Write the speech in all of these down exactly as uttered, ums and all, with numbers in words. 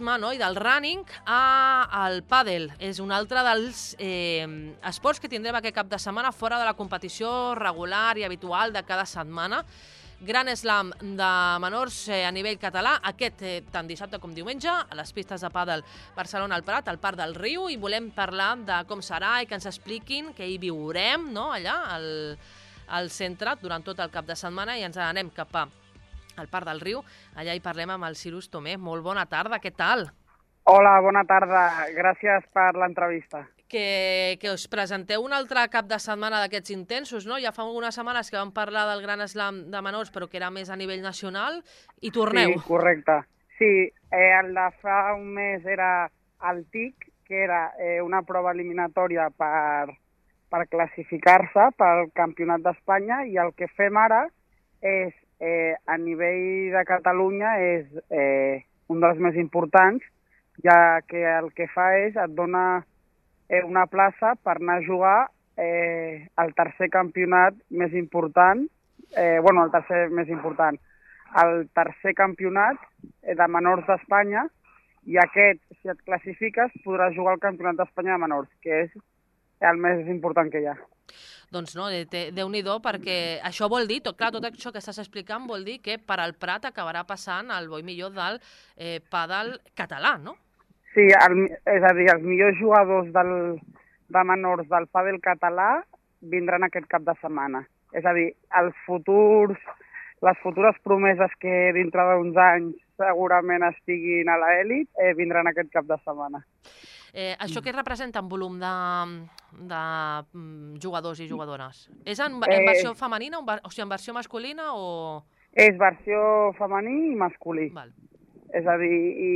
no? I del running al pàdel. És un altre dels eh, esports que tindrem aquest cap de setmana fora de la competició regular i habitual de cada setmana. Gran slam de menors eh, a nivell català, aquest eh, tant dissabte com diumenge, a les pistes de pàdel Barcelona al Prat, al Parc del Riu, i volem parlar de com serà i que ens expliquin què hi viurem, no?, allà al, al centre durant tot el cap de setmana, i ens anem cap a al Parc del Riu. Allà hi parlem amb el Cyrus Tomé. Molt bona tarda, què tal? Hola, bona tarda. Gràcies per l'entrevista. Que, que us presenteu un altre cap de setmana d'aquests intensos, no? Ja fa algunes setmanes que vam parlar del Gran Slam de menors, però que era més a nivell nacional, i torneu. Sí, correcte. Sí, eh, el de fa un mes era el T I C, que era eh, una prova eliminatòria per, per classificar-se pel Campionat d'Espanya, i el que fem ara és, eh, a nivell de Catalunya, és eh, un dels més importants, ja que el que fa és et dona eh, una plaça per anar a jugar eh, el tercer campionat més important, eh, bueno, el tercer més important, el tercer campionat de menors d'Espanya, i aquest, si et classifiques, podràs jugar al Campionat d'Espanya de menors, que és el més important que hi ha. Doncs no, Déu-n'hi-do, perquè això vol dir, tot, clar, tot això que estàs explicant vol dir que per al Prat acabarà passant el bo i millor del eh, pàdel català, no? Sí, el, és a dir, els millors jugadors del, de menors del pàdel català vindran aquest cap de setmana. És a dir, els futurs, les futures promeses que dintre d'uns anys segurament estiguin a l'elit eh, vindran aquest cap de setmana. Eh, això què representa en volum de, de jugadors i jugadores? És en, en versió eh, femenina, o sigui, en versió masculina o...? És versió femení i masculí. Val. És a dir, i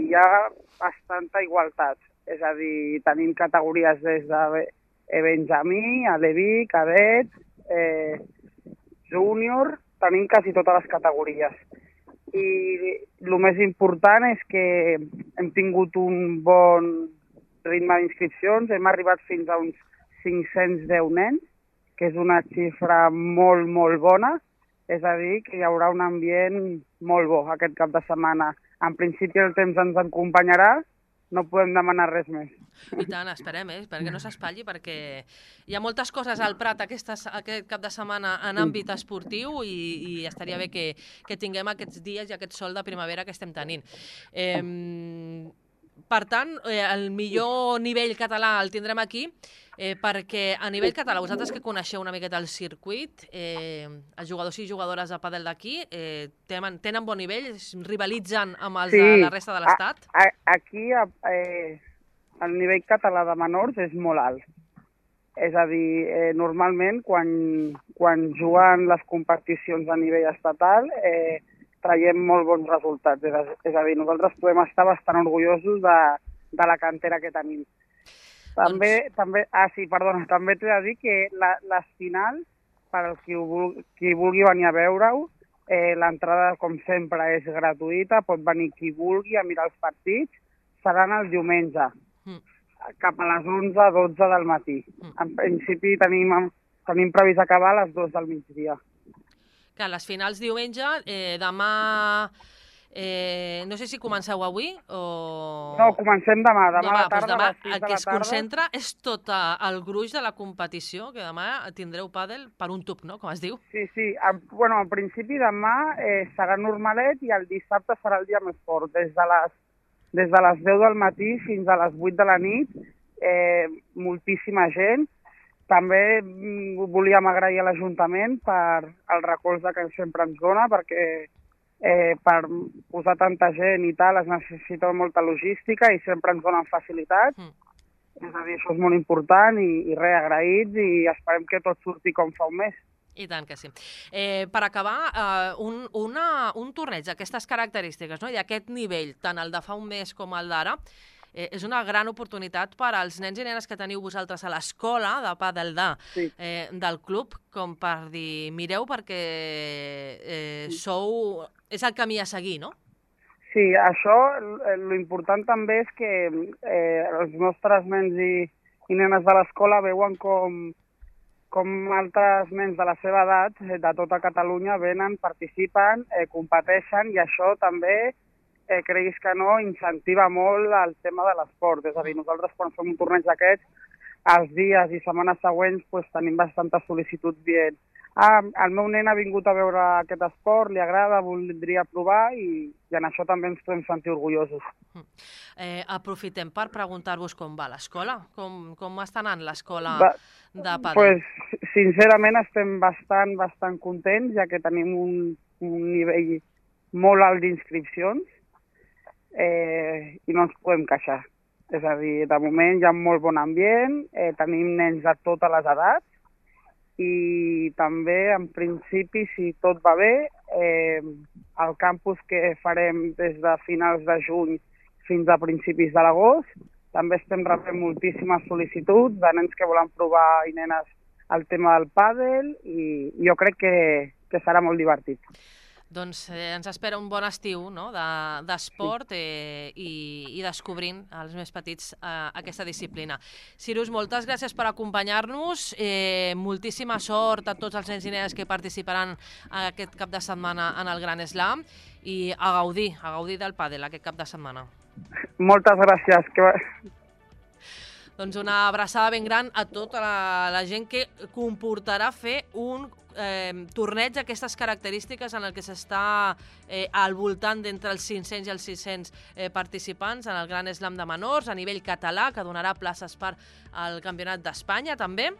hi ha bastanta igualtat. És a dir, tenim categories des de benjamí, aleví, cadet, eh, júnior, tenim quasi totes les categories. I el més important és que hem tingut un bon ritme d'inscripcions, hem arribat fins a uns cinc-cents deu nens, que és una xifra molt, molt bona, és a dir, que hi haurà un ambient molt bo aquest cap de setmana. En principi el temps ens acompanyarà, no podem demanar res més. I tant, esperem, eh? Perquè no s'espatlli, perquè hi ha moltes coses al Prat aquestes, aquest cap de setmana en àmbit esportiu, i, i estaria bé que, que tinguem aquests dies i aquest sol de primavera que estem tenint. Eh, per tant, eh, el millor nivell català el tindrem aquí, eh, perquè a nivell català, vosaltres que coneixeu una miqueta el circuit, eh, els jugadors i jugadores de pàdel d'aquí eh, tenen, tenen bon nivell, rivalitzen amb els sí, de la resta de l'Estat? Aquí eh, el nivell català de menors és molt alt. És a dir, eh, normalment quan, quan juguen les competicions a nivell estatal eh, traiem molt bons resultats. És a, és a dir, nosaltres podem estar bastant orgullosos de, de la cantera que tenim. També, doncs... també, ah, sí, perdona, també t'he de dir que la, les finals, per als qui, qui vulgui venir a veure-ho, eh, l'entrada, com sempre, és gratuïta, pot venir qui vulgui a mirar els partits, seran el diumenge, mm. cap a les onze a dotze del matí. Mm. En principi tenim, tenim previst acabar a les dues del migdia. Que les finals diumenge, eh, demà, eh, no sé si comenceu avui o... No, comencem demà, demà, demà a la tarda, doncs demà, a les sis de la tarda. El que es concentra és tot el gruix de la competició, que demà tindreu pàdel per un tub, no?, com es diu. Sí, sí, en, bueno, en principi demà eh, serà normalet, i el dissabte serà el dia més fort, des de les, des de les deu del matí fins a les vuit de la nit, eh, moltíssima gent. També volíem agrair a l'Ajuntament per el recolze que sempre ens dona, perquè eh, per posar tanta gent i tal es necessita molta logística i sempre ens donen facilitats. Mm. És a dir, això és molt important, i, i res, agraïts, i esperem que tot surti com fa un mes. I tant que sí. Eh, per acabar, eh, un, una, un torneig d'aquestes característiques, no?, i d'aquest nivell, tant el de fa un mes com el d'ara, Eh, és una gran oportunitat per als nens i nenes que teniu vosaltres a l'escola de pàdel de, sí. eh, del club, com per dir, mireu, perquè eh, sou... és el camí a seguir, no? Sí, això, l'important també és que eh, els nostres nens i, i nenes de l'escola veuen com, com altres nens de la seva edat, de tota Catalunya, venen, participen, eh, competeixen, i això també eh, creguis que no, incentiva molt el tema de l'esport. És a dir, nosaltres quan fem un torneig d'aquests, els dies i setmanes següents pues, tenim bastantes sol·licituds dient ah, el meu nen ha vingut a veure aquest esport, li agrada, voldria provar i, i en això també ens podem sentir orgullosos. Eh, aprofitem per preguntar-vos com va l'escola, com, com està anant l'escola de pàdel? Pues, sincerament estem bastant, bastant contents, ja que tenim un, un nivell molt alt d'inscripcions eh, i no ens podem queixar. És a dir, de moment hi ha molt bon ambient, eh, tenim nens de totes les edats i també, en principi, si tot va bé, eh, el campus que farem des de finals de juny fins a principis de l'agost, també estem rebent moltíssimes sol·licituds de nens que volen provar i nenes el tema del pàdel i jo crec que, que serà molt divertit. Doncs eh, ens espera un bon estiu no? d'esport de, eh, i, i descobrint els més petits eh, aquesta disciplina. Cirus, moltes gràcies per acompanyar-nos, eh, moltíssima sort a tots els nens i nenes que participaran aquest cap de setmana en el Gran Slam i a gaudir, a gaudir del pàdel aquest cap de setmana. Moltes gràcies. Que... Doncs una abraçada ben gran a tota la, la gent que comportarà fer un eh, torneig d'aquestes característiques en el que s'està eh, al voltant d'entre els cinc-cents i els sis-cents eh, participants en el Gran Slam de menors a nivell català, que donarà places per al Campionat d'Espanya també.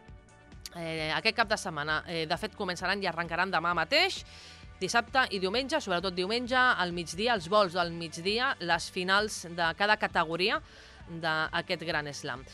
Eh, aquest cap de setmana, eh, de fet, començaran i arrencaran demà mateix, dissabte i diumenge, sobretot diumenge, al migdia, els vols del migdia, les finals de cada categoria d'aquest Gran Slam.